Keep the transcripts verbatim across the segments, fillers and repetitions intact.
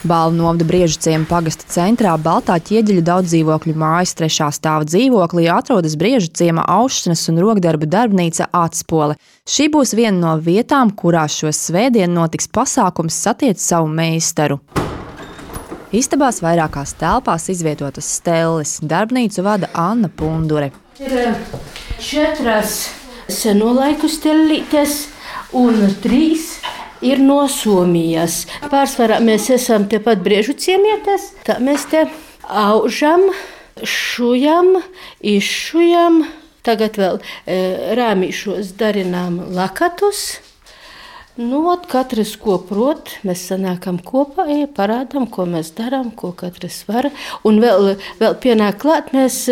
Balvu novada Briežuciema pagasta centrā Baltā ķieģeļu daudzdzīvokļu mājas trešā stāva dzīvoklī atrodas Briežuciema aušanas un rokdarbu darbnīca Atspole. Šī būs viena no vietām, kurās šo svētdienu notiks pasākums Satiec savu meistaru. Istabās vairākās telpās izvietotas stelles. Darbnīcu vada Anna Pundure. Ir četras seno laiku stellītes un trīs ir no Somijas. Pārsvarā mēs esam tepat Briežuciemietes. Tā mēs te aužam, šujam, izšujam. Tagad vēl e, rāmīšos darinām lakatus. Nu, ot, katrs ko prot, mēs sanākam kopā, ja parādām, ko mēs darām, ko katrs var. Un vēl, vēl pienāk klāt, mēs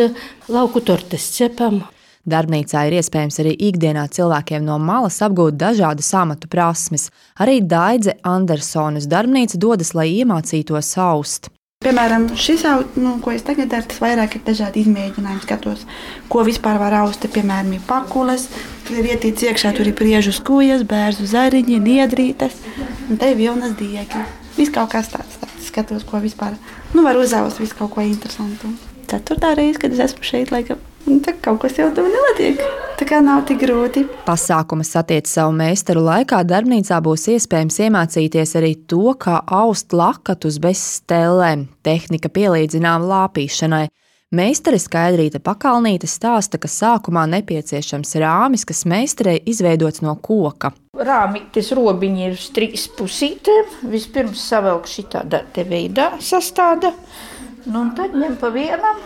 lauku tortes cepam. Darbnīcā ir iespējams arī ikdienā cilvēkiem no malas apgūt dažādas amatu prasmes. Arī Daidze Andersonas darbnīca dodas, lai iemācītos aust. Piemēram, šis, nu, ko es tagad daru, tas vairāk ir dažādi izmēģinājumi. Skatos, ko vispār var aust. Piemēram, ir pakules, tur ir ietīts iekšā, tur ir priežu skujas, bērzu zariņi, niedrītes, un te ir vilnas diegi. Viss kaut kas tāds, tāds. Skatos, ko vispār nu, var uzaust, visu kaut ko interesantu. Ceturtā reize, kad es esmu šeit, laikam, tā kaut kas jau tuvu nenotiek. Tā kā nav tik grūti. Pasākuma Satiec savu meistaru laikā darbnīcā būs iespējams iemācīties arī to, kā aust lakatus bez stellēm. Tehnika pielīdzinām lāpīšanai. Meistare Skaidrīte Pakalnīte stāsta, ka sākumā nepieciešams rāmis, kas meistarei izveidots no koka. Rāmītes robiņi ir uz trīs pusītēm. Vispirms savelk šitādā te veidā sastāda. Nu, un tad ņem pa vienam,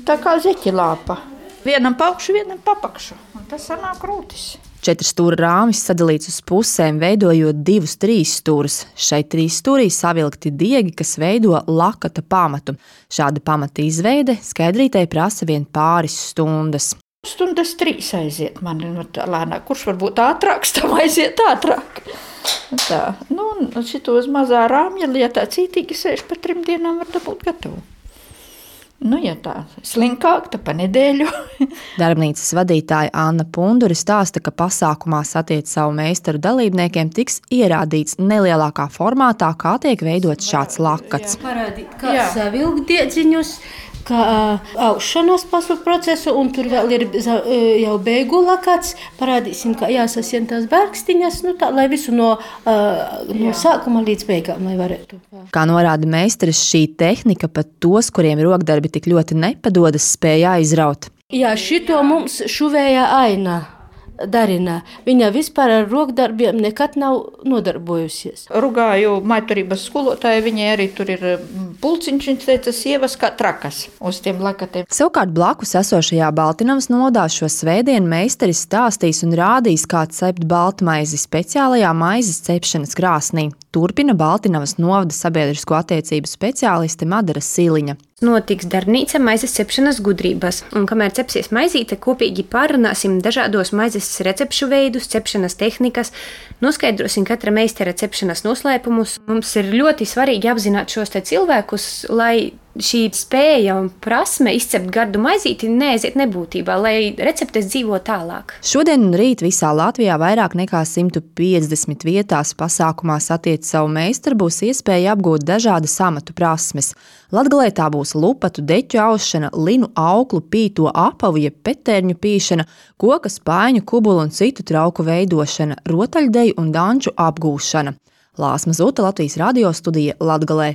tā kā zeķilāpa. Vienam pa augšu, vienam pa apakšu. Un tas sanāk rūtis. Četru stūra rāmis sadalīts uz pusēm, veidojot divus trīs stūrus. Šai trīs stūrī savilkti diegi, kas veido lakata pamatu. Šāda pamata izveide Skaidrītei prasa vien pāris stundas. Stundas trīs aiziet man lēnāk. Kurš varbūt ātrāks, tam aiziet ātrāk. Tā, nu, šitos mazā rāmja, ja tā cītīgi sēž pa trim dienām, var dabūt gatavu. Nu, ja tā slinkāk, tā pa nedēļu. Darbnīcas vadītāja Anna Pundure stāsta, ka pasākumā Satiec savu meistaru dalībniekiem tiks ierādīts nelielākā formātā, kā tiek veidots šāds lakats. Parādīt, kā savilkt diedziņus, kā aušanas pasu procesu, un tur vēl ir jau beigu lakats. Parādīsim, kā jāsasien tās bērkstiņas, nu tā, lai visu no, no sākuma līdz beigām, lai varētu. Kā norāda meistaris, šī tehnika pat tos, kuriem rokdarbi tik ļoti nepadodas, spēja aizraut. Jā, šito mums šuvēja Aina darina. Viņa vispār ar rokdarbiem nekad nav nodarbojusies. Rugāju maiturības skolotāju, viņai arī tur ir pulciņš, viņš teica, sievas kā trakas uz tiem lakatiem. Savukārt blakus esošajā Baltinavas novadā šo svētdienu meistaris stāstīs un rādīs, kā cept baltmaizi speciālajā maizes cepšanas krāsnī. Turpina Baltinavas novada sabiedrisko attiecību speciāliste Madara Siliņa. Notiks darbnīca maizes cepšanas gudrības, un kamēr cepsies maizīte, kopīgi pārunāsim dažādos maizes recepšu veidus, cepšanas tehnikas, noskaidrosim katra meistara cepšanas noslēpumus. Mums ir ļoti svarīgi apzināt šos te cilvēkus, lai šī spēja un prasme izcept gardu maizīti neaiziet nebūtībā, lai receptes dzīvo tālāk. Šodien un rīt visā Latvijā vairāk nekā simt piecdesmit vietās pasākumā Satiec savu meistaru būs iespēja apgūt dažādas amatu prasmes. Latgalē tā būs lupatu, deķu aušana, linu auklu, pīto apavu jeb petērņu pīšana, koka spaiņu, kubulu un citu trauku veidošana, rotaļdeju un danču apgūšana. Lāsma Zuta, Latvijas radio studija Latgalē.